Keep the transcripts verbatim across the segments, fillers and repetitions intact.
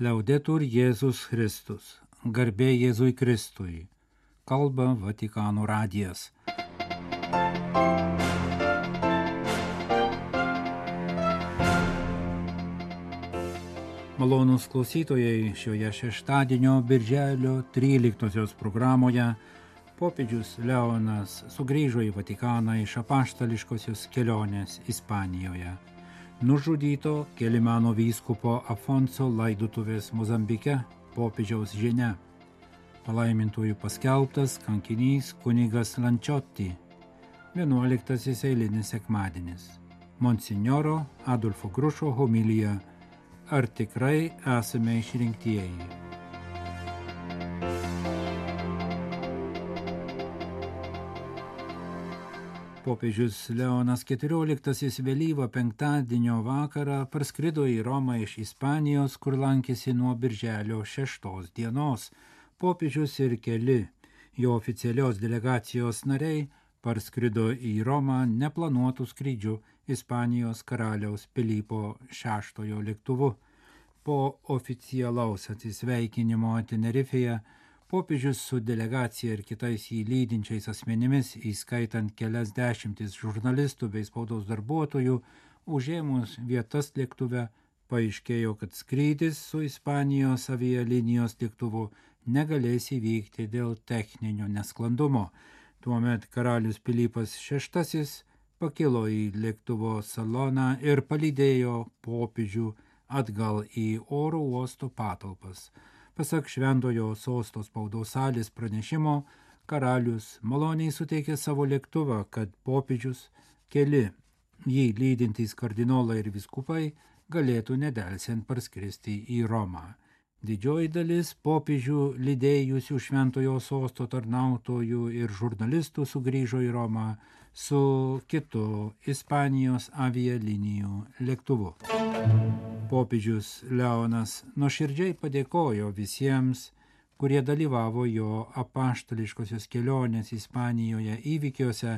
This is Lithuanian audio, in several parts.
Liaudetur Jėzus Kristus, garbė Jėzui Kristui, kalba Vatikano radijas. Malonūs klausytojai, šioje šeštadienio birželio tryliktosios programoje popiežius Leonas sugrįžo į Vatikaną iš apaštališkosios kelionės Ispanijoje. Nužudyto Kelimano vyskupo Afonso laidotuvės Mozambike popiežiaus žinia. Palaimintųjų paskelbtas kankinys kunigas Lančiotti. vienuoliktasis eilinis sekmadienis. Monsinjoro Adolfo Grušo homilija. Ar tikrai esame išrinktieji? Popiežius Leonas keturioliktasis vėlyvą penktadienio vakarą parskrido į Romą iš Ispanijos, kur lankėsi nuo birželio šeštos dienos. Popiežius ir keli jo oficialios delegacijos nariai parskrido į Romą neplanuotų skrydžių Ispanijos karaliaus Pilypo šeštojo lėktuvu. Po oficialaus atsisveikinimo Tenerifėje popiežius su delegacija ir kitais jį lydinčiais asmenimis, įskaitant kelias dešimtis žurnalistų bei spaudos darbuotojų, užėmus vietas lėktuve, paaiškėjo, kad skrydis su Ispanijos avialinijos lėktuvu negalės įvykti dėl techninio nesklandumo. Tuomet karalius Pilypas šeštasis pakilo į lėktuvo saloną ir palydėjo popiežių atgal į oro uosto patalpas. Pasak Šventojo sosto spaudos salės pranešimo, karalius maloniai suteikė savo lėktuvą, kad popiežius, keli jį lydintys kardinolai ir vyskupai galėtų nedelsiant parskristi į Romą. Didžioji dalis popiežių lydėjusių Šventojo sosto tarnautojų ir žurnalistų sugrįžo į Romą su kitu Ispanijos avialinijų lėktuvu. Popiežius Leonas nuoširdžiai padėkojo visiems, kurie dalyvavo jo apaštališkosios kelionės Ispanijoje įvykiuose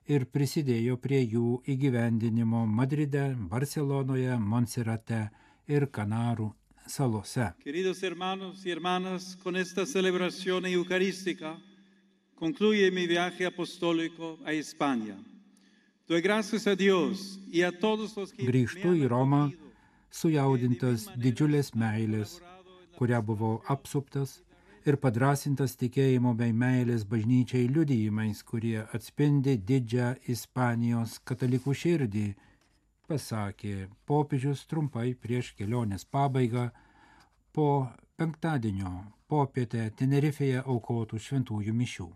ir prisidėjo prie jų įgyvendinimo Madride, Barcelonoje, Monserrate ir Kanarų salose. Queridos hermanos y hermanas, con esta celebración eucarística concluye mi viaje apostólico a España. Doy gracias a Dios y a todos los que Grįžtu į Romą, sujaudintas didžiulės meilės, kurią buvau apsuptas, ir padrasintas tikėjimo bei meilės bažnyčiai liudijimais, kurie atspindi didžią Ispanijos katalikų širdį, pasakė popiežius trumpai prieš kelionės pabaigą po penktadienio popietę Tenerifėje aukotų šventųjų mišių.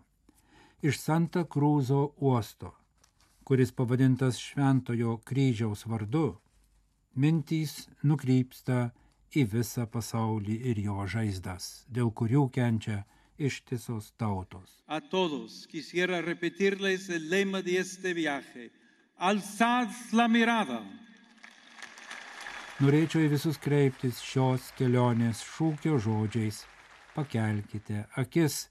Iš Santa Cruzo uosto, kuris pavadintas Šventojo kryžiaus vardu, mintys nukrypsta į visą pasaulį ir jo žaizdas, dėl kurių kenčia ištisos tautos. A todos quisiera repetirles el lema de este viaje. Alzad la mirada. Norėčiau į visus kreiptis šios kelionės šūkio žodžiais. Pakelkite akis,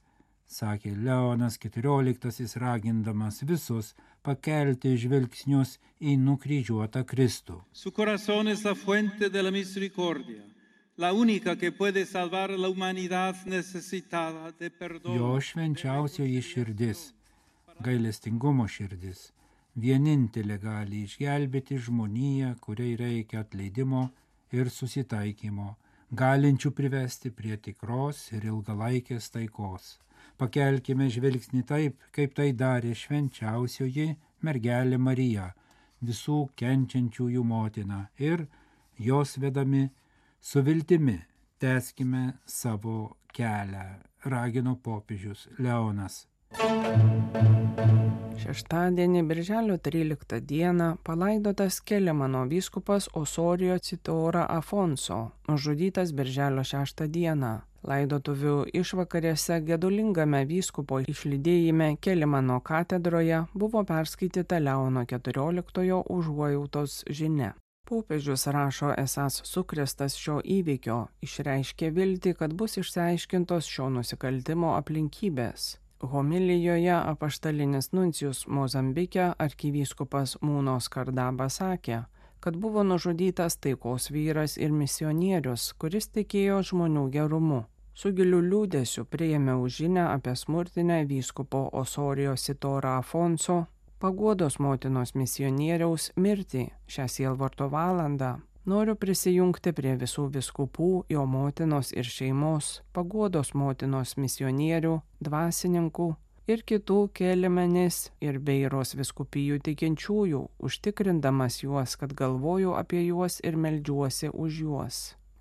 sakė Leonas keturioliktasis ragindamas visus pakelti žvilgsnius į nukryžiuotą Kristų. Su corazón es la fuente de la misericordia, la única que puede salvar a la humanidad necesitada de perdón. Jo švenčiausioji širdis, gailestingumo širdis, vienintelė gali išgelbėti žmoniją, kuriai reikia atleidimo ir susitaikymo, galinčių privesti prie tikros ir ilgalaikės taikos. Pakelkime žvilgsnį taip, kaip tai darė švenčiausioji mergelė Marija, visų kenčiančiųjų motina, ir jos vedami su viltimi tęskime savo kelią, ragino popiežius Leonas. Šeštadienį, birželio tryliktą dieną, palaidotas Kelimano vyskupas Osorijo Citora Afonso, nužudytas birželio šeštą dieną. Laidotuvių išvakarėse gedulingame vyskupo išlydėjime Kelimano katedroje buvo perskaityta Leono keturioliktojo užuojautos žinia. Popiežius rašo esąs sukrėstas šio įvykio, išreiškė viltį, kad bus išsiaiškintos šio nusikaltimo aplinkybės. Homilijoje apaštalinis nuncijus Mozambike arkivyskupas Mūno Skardaba sakė, kad buvo nužudytas taikos vyras ir misionierius, kuris tikėjo žmonių gerumu. Su giliu liūdėsiu priėmiau žinią apie smurtinę vyskupo Osorijo Sitorą Afonso, Paguodos motinos misionieriaus mirtį šią sielvarto valandą. Noriu prisijungti prie visų vyskupų, jo motinos ir šeimos, Paguodos motinos misionierių, dvasininkų ir kitų Kelimenės ir Beiros vyskupijų tikinčiųjų, užtikrindamas juos, kad galvoju apie juos ir meldžiuosi už juos.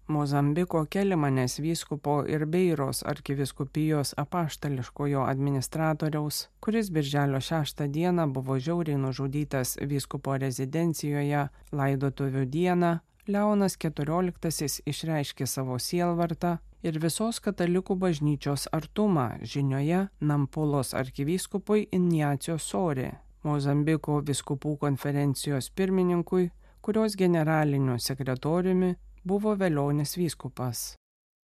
Mozambiko Kelimenės vyskupo ir Beiros arkivyskupijos apaštališkojo administratoriaus, kuris birželio šeštą dieną buvo žiauriai nužudytas vyskupo rezidencijoje laidotuvių dieną, Leonas keturioliktasis išreiškė savo sielvartą ir visos katalikų bažnyčios artumą žinioje Nampulos arkivyskupui Injacio Sori, Mozambiko vyskupų konferencijos pirmininkui, kurios generaliniu sekretoriumi buvo Velionis vyskupas.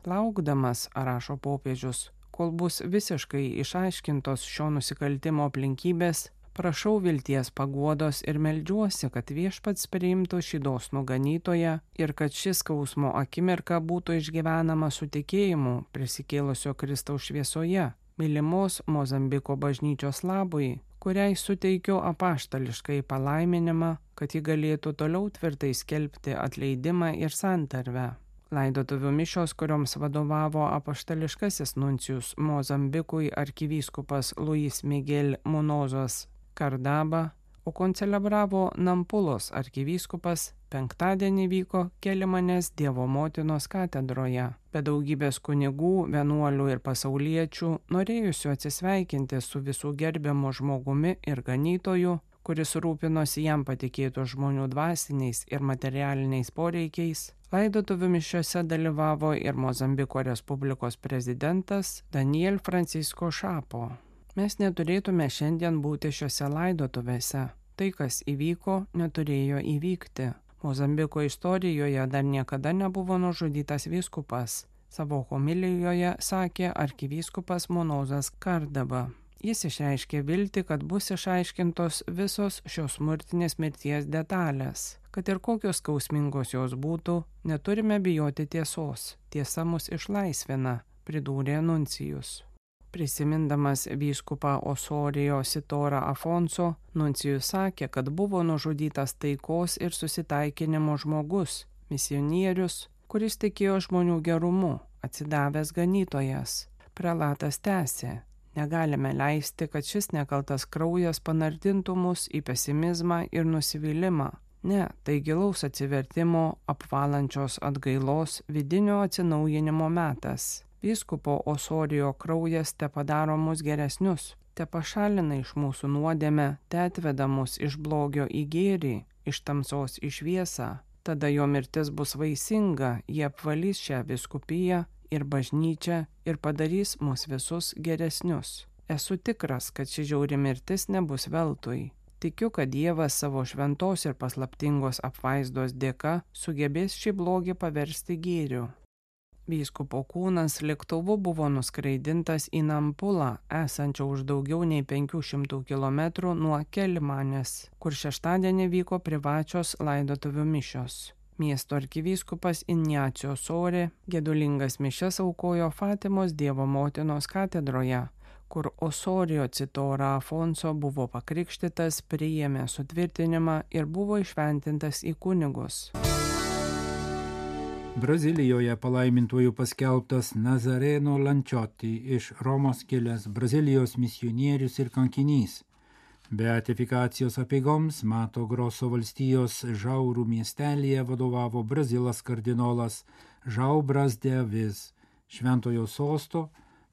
Laukdamas, rašo popiežius, kol bus visiškai išaiškintos šio nusikaltimo aplinkybės, prašau vilties paguodos ir meldžiuosi, kad viešpats priimtų šį dosnų ganytoją ir kad šis skausmo akimirka būtų išgyvenama su tikėjimu prisikėlusio Kristaus šviesoje, mylimos Mozambiko bažnyčios labui, kuriai suteikiu apaštališkai palaiminimą, kad ji galėtų toliau tvirtai skelbti atleidimą ir santarvę. Laidotuvių mišios, kurioms vadovavo apaštališkasis nuncijus Mozambikui arkivyskupas Luis Miguel Munozas Kardaba, o koncelebravo Nampulos arkivyskupas, penktadienį vyko Kelimenės Dievo motinos katedroje. Be daugybės kunigų, vienuolių ir pasauliečių, norėjusių atsisveikinti su visų gerbiamu žmogumi ir ganytoju, kuris rūpinosi jam patikėtų žmonių dvasiniais ir materialiniais poreikiais, laidotuvių mišiose dalyvavo ir Mozambiko Respublikos prezidentas Daniel Francisco Šapo. Mes neturėtume šiandien būti šiuose laidotuvėse. Tai, kas įvyko, neturėjo įvykti. Mozambiko istorijoje dar niekada nebuvo nužudytas vyskupas. Savo homilijoje sakė arkivyskupas Munozas Kardaba. Jis išreiškė viltį, kad bus išaiškintos visos šios smurtinės mirties detalės. Kad ir kokios skausmingos jos būtų, neturime bijoti tiesos. Tiesa mus išlaisvina, pridūrė nuncijus. Prisimindamas vyskupą Osorijo Sitorą Afonso, nuncijus sakė, kad buvo nužudytas taikos ir susitaikinimo žmogus, misionierius, kuris tikėjo žmonių gerumu, atsidavęs ganytojas. Prelatas tęsė: negalime leisti, kad šis nekaltas kraujas panardintų mus į pesimizmą ir nusivylimą. Ne, tai gilaus atsivertimo, apvalančios atgailos, vidinio atsinaujinimo metas. Vyskupo Osorijo kraujas te padaro mus geresnius, te pašalina iš mūsų nuodėmę, te atveda mus iš blogio į gėrį, iš tamsos į šviesą. Tada jo mirtis bus vaisinga, jie apvalys šią vyskupiją ir bažnyčią ir padarys mus visus geresnius. Esu tikras, kad ši žiauri mirtis nebus veltui. Tikiu, kad Dievas savo šventos ir paslaptingos apvaizdos dėka sugebės šį blogį paversti gėriu. Vyskupo kūnas lėktuvu buvo nuskraidintas į Nampulą, esančią už daugiau nei penkių šimtų kilometrų nuo Kelimenės, kur šeštadienį vyko privačios laidotuvių mišios. Miesto arkivyskupas Injacio Sori gedulingas mišias aukojo Fatimos Dievo motinos katedroje, kur Osorijo Sitorą Afonso buvo pakrikštytas, priėmė sutvirtinimą ir buvo išventintas į kunigus. Brazilijoje palaimintuoju paskelbtas Nazareno Lančoti iš Romos kilęs Brazilijos misionierius ir kankinys. Beatifikacijos apeigoms Mato Groso valstijos Žaurų miestelyje vadovavo Brazilas kardinolas Žau Bras de Avis, šventojo sosto,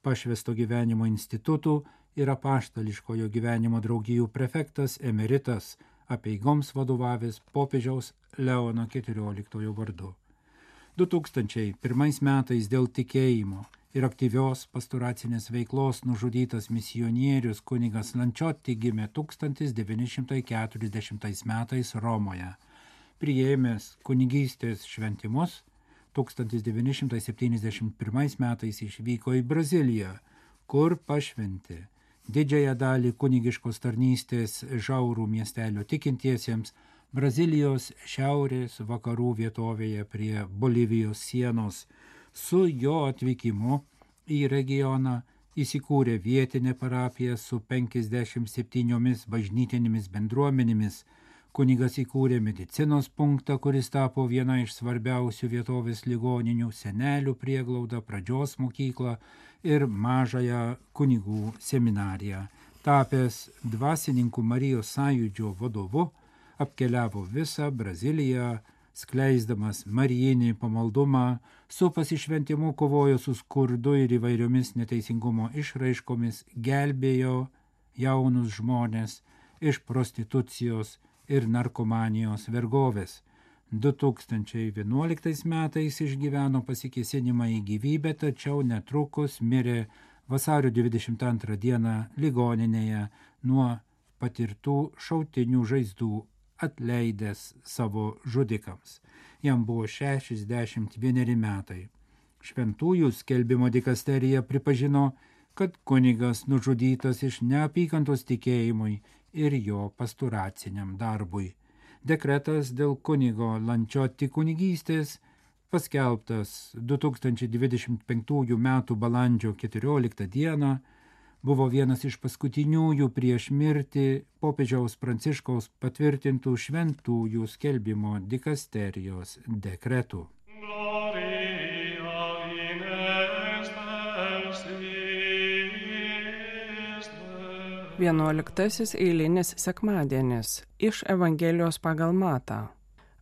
pašvęsto gyvenimo institutų ir apaštališkojo gyvenimo draugijų prefektas emeritas, apeigoms vadovavęs popiežiaus Leono keturioliktojo vardu. du tūkstančiai pirmais metais dėl tikėjimo ir aktyvios pastoracinės veiklos nužudytas misionierius kunigas Lančoti gimė tūkstantis devyni šimtai keturiasdešimtais metais Romoje. Priėmęs kunigystės šventimus, tūkstantis devyni šimtai septyniasdešimt pirmais metais išvyko į Braziliją, kur pašventė didžiąją dalį kunigiškos tarnystės Žaurų miestelio tikintiesiems, Brazilijos šiaurės vakarų vietovėje prie Bolivijos sienos. Su jo atvykimu į regioną įsikūrė vietinė parapija su penkiasdešimt septyniomis bažnytinėmis bendruomenėmis. Kunigas įkūrė medicinos punktą, kuris tapo viena iš svarbiausių vietovės ligoninių, senelių prieglaudą, pradžios mokyklą ir mažąją kunigų seminariją. Tapęs dvasininkų Marijos sąjūdžio vadovu, apkeliavo visą Braziliją, skleisdamas marijinį pamaldumą, su pasišventimu kovojo su skurdu ir įvairiomis neteisingumo išraiškomis, gelbėjo jaunus žmonės iš prostitucijos ir narkomanijos vergovės. du tūkstančiai vienuoliktais metais išgyveno pasikėsinimą į gyvybę, tačiau netrukus mirė vasario dvidešimt antrą dieną ligoninėje nuo patirtų šautinių žaizdų, atleidęs savo žudikams. Jam buvo šešiasdešimt vieneri metai. Šventųjų skelbimo dikasterija pripažino, kad kunigas nužudytas iš neapykantos tikėjimui ir jo pastoraciniam darbui. Dekretas dėl kunigo Lančiotti kunigystės, paskelbtas du tūkstančiai dvidešimt penktųjų metų balandžio keturioliktą dieną, buvo vienas iš paskutiniųjų prieš mirtį popiežiaus Pranciškaus patvirtintų šventųjų skelbimo dikasterijos dekretų. Vienuoliktasis eilinis sekmadienis iš Evangelijos pagal Matą.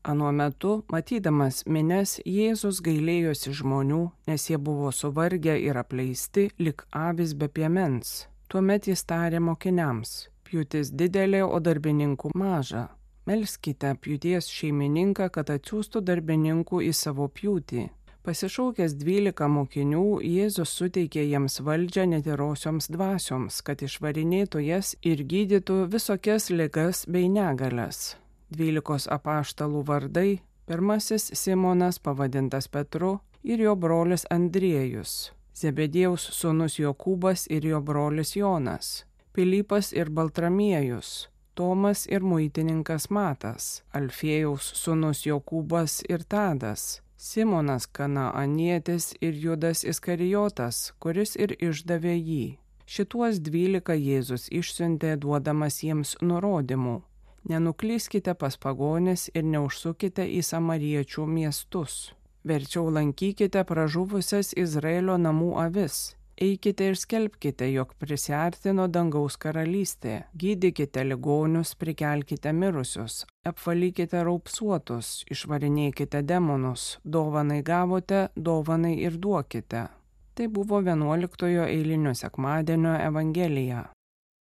Anuo metu, matydamas minias, Jėzus gailėjosi žmonių, nes jie buvo suvargę ir apleisti, lik avys be piemens. Tuomet jis tarė mokiniams: pjūtis didelė, o darbininkų maža. Melskite pjūties šeimininką, kad atsiųstų darbininkų į savo pjūtį. Pasišaukęs dvylika mokinių, Jėzus suteikė jiems valdžią netirosioms dvasioms, kad išvarinėtų jas ir gydytų visokias ligas bei negalias. Dvylikos apaštalų vardai: pirmasis Simonas, pavadintas Petru, ir jo brolis Andriejus, Zebediejaus sūnus Jokūbas ir jo brolis Jonas, Pilypas ir Baltramiejus, Tomas ir muitininkas Matas, Alfiejaus sūnus Jokūbas ir Tadas, Simonas Kanaanietis ir Judas Iskarijotas, kuris ir išdavė jį. Šituos dvylika Jėzus išsiuntė, duodamas jiems nurodymų: nenuklyskite pas pagonis ir neužsukite į samariečių miestus. Verčiau lankykite pražuvusias Izraelio namų avis. Eikite ir skelbkite, jog prisiartino dangaus karalystė. Gydykite ligonius, prikelkite mirusius, apvalykite raupsuotus, išvarinėkite demonus. Dovanai gavote, dovanai ir duokite. Tai buvo vienuoliktojo eilinio sekmadienio Evangelija.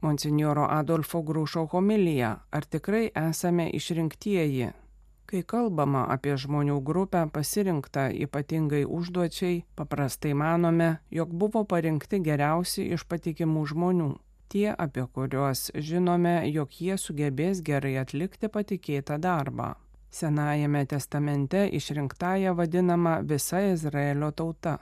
Monsinjoro Adolfo Grušo homilija: ar tikrai esame išrinktieji? Kai kalbama apie žmonių grupę pasirinktą ypatingai užduočiai, paprastai manome, jog buvo parinkti geriausi iš patikimų žmonių. Tie, apie kuriuos žinome, jog jie sugebės gerai atlikti patikėtą darbą. Senajame testamente išrinktąja vadinama visa Izraelio tauta.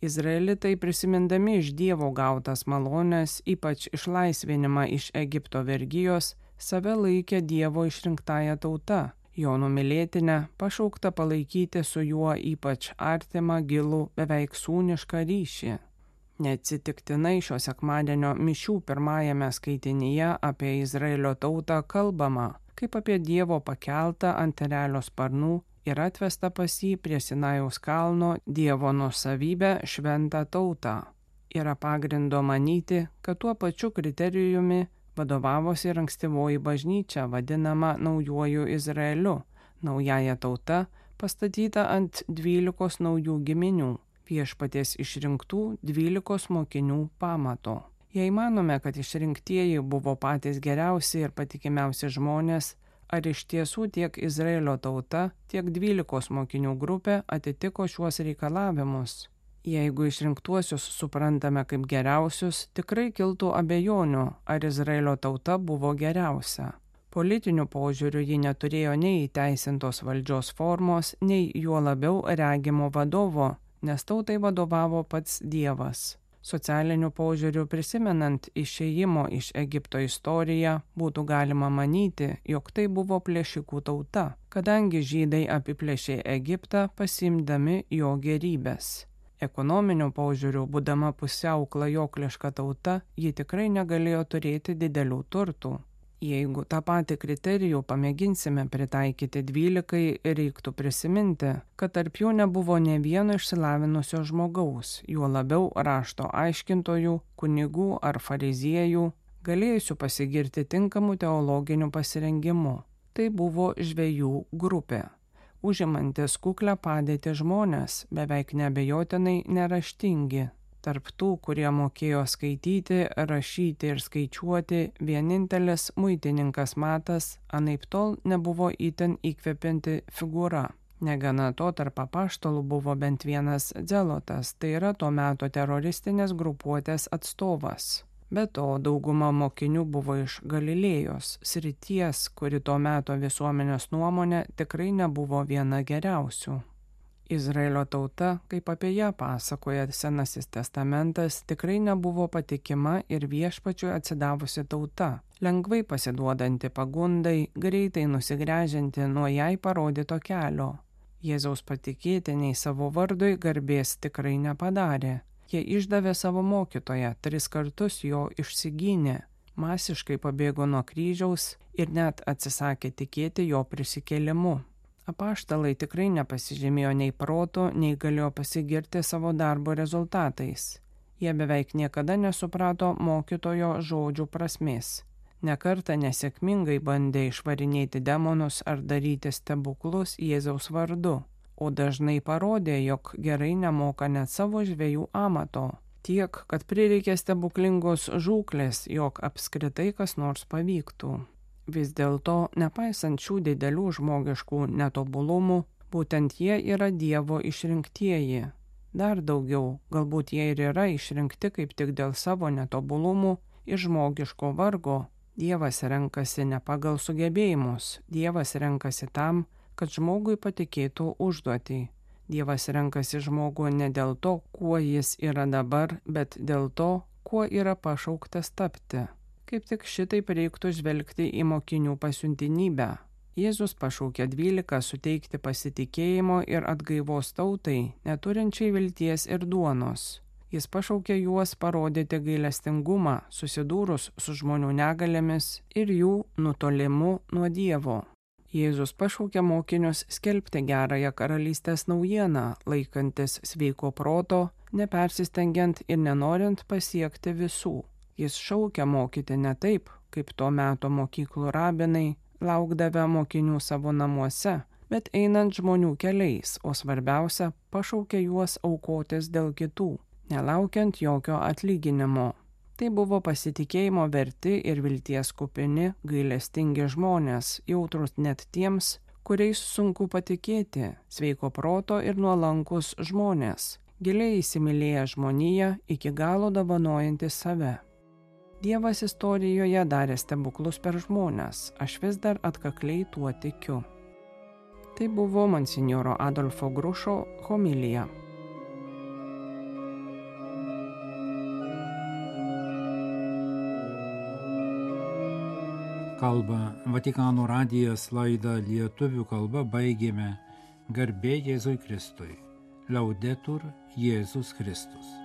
Izraelitai, prisimindami iš Dievo gautas malones, ypač išlaisvinimą iš Egipto vergijos, save laikė Dievo išrinktąja tauta, jo numylėtinę, pašaukta palaikyti su juo ypač artimą, gilų, beveik sūnišką ryšį. Neatsitiktinai šio sekmadienio mišių pirmajame skaitinyje apie Izraelio tautą kalbama, kaip apie Dievo pakeltą ant erelio sparnų ir atvesta pas jį prie Sinajaus kalno Dievo nuosavybę šventą tautą. Yra pagrindo manyti, kad tuo pačiu kriterijumi vadovavosi ir ankstyvoji bažnyčia, vadinama naujuoju Izraeliu, naująja tauta, pastatyta ant dvylikos naujų giminių, viešpaties išrinktų dvylikos mokinių pamato. Jei manome, kad išrinktieji buvo patys geriausi ir patikimiausi žmonės, ar iš tiesų tiek Izraelio tauta, tiek dvylikos mokinių grupė atitiko šiuos reikalavimus? Jeigu išrinktuosius suprantame kaip geriausius, tikrai kiltų abejonių, ar Izraelio tauta buvo geriausia. Politiniu požiūriu ji neturėjo nei įteisintos valdžios formos, nei juo labiau regimo vadovo, nes tautai vadovavo pats Dievas. Socialiniu požiūriu prisimenant išėjimo iš Egipto istoriją, būtų galima manyti, jog tai buvo plėšikų tauta, kadangi žydai apiplėšė Egiptą pasiimdami jo gerybės. Ekonominiu požiūriu, būdama pusiau klajokliška tauta, ji tikrai negalėjo turėti didelių turtų. Jeigu tą patį kriterijų pamėginsime pritaikyti dvylikai, reiktų prisiminti, kad tarp jų nebuvo nė vieno išsilavinusio žmogaus, juo labiau rašto aiškintojų, kunigų ar fariziejų, galėjusių pasigirti tinkamu teologiniu pasirengimu. Tai buvo žvejų grupė. Užimantis kuklę padėtį žmonės, beveik neabejotinai neraštingi. Tarp tų, kurie mokėjo skaityti, rašyti ir skaičiuoti, vienintelis muitininkas Matas anaiptol nebuvo itin įkvepianti figūra. Negana to, tarp apaštalų buvo bent vienas Dzelotas, tai yra to meto teroristinės grupuotės atstovas. Be to, dauguma mokinių buvo iš Galilėjos, srities, kuri to meto visuomenės nuomonė tikrai nebuvo viena geriausių. Izraelio tauta, kaip apie ją pasakoja Senasis testamentas, tikrai nebuvo patikima ir Viešpačiui atsidavusi tauta, lengvai pasiduodanti pagundai, greitai nusigręžianti nuo jai parodyto kelio. Jėzaus patikėtiniai savo vardui garbės tikrai nepadarė. Jie išdavė savo mokytoją, tris kartus jo išsigynė, masiškai pabėgo nuo kryžiaus ir net atsisakė tikėti jo prisikėlimu. Apaštalai tikrai nepasižymėjo nei proto, nei galėjo pasigirti savo darbo rezultatais. Jie beveik niekada nesuprato mokytojo žodžių prasmės. Nekartą nesėkmingai bandė išvarinėti demonus ar daryti stebuklus Jėzaus vardu, o dažnai parodė, jog gerai nemoka net savo žvejų amato. Tiek, kad prireikė stebuklingos žūklės, jog apskritai kas nors pavyktų. Vis dėlto, nepaisant šių didelių žmogiškų netobulumų, būtent jie yra Dievo išrinktieji. Dar daugiau, galbūt jie ir yra išrinkti kaip tik dėl savo netobulumų ir žmogiško vargo. Dievas renkasi ne pagal sugebėjimus, Dievas renkasi tam, kad žmogui patikėtų užduotį. Dievas renkasi žmogų ne dėl to, kuo jis yra dabar, bet dėl to, kuo yra pašauktas tapti. Kaip tik šitaip reiktų žvelgti į mokinių pasiuntinybę. Jėzus pašaukė dvylika suteikti pasitikėjimo ir atgaivos tautai, neturinčiai vilties ir duonos. Jis pašaukė juos parodyti gailestingumą, susidūrus su žmonių negalėmis ir jų nutolimu nuo Dievo. Jėzus pašaukė mokinius skelbti gerąją karalystės naujieną, laikantis sveiko proto, nepersistengiant ir nenorint pasiekti visų. Jis šaukia mokyti ne taip, kaip to meto mokyklų rabinai, laukdavę mokinių savo namuose, bet einant žmonių keliais, o svarbiausia, pašaukia juos aukotis dėl kitų, nelaukiant jokio atlyginimo. Tai buvo pasitikėjimo verti ir vilties kupini, gailestingi žmonės, jautrus net tiems, kuriais sunku patikėti, sveiko proto ir nuolankus žmonės, giliai įsimylėję žmoniją, iki galo dovanojantis save. Dievas istorijoje darė stebuklus per žmones, aš vis dar atkakliai tuo tikiu. Tai buvo monsinjoro Adolfo Grušo homilija. Kalba Vatikano radijas laidą lietuvių kalba baigėme. Garbė Jėzui Kristui. Laudetur Jėzus Kristus.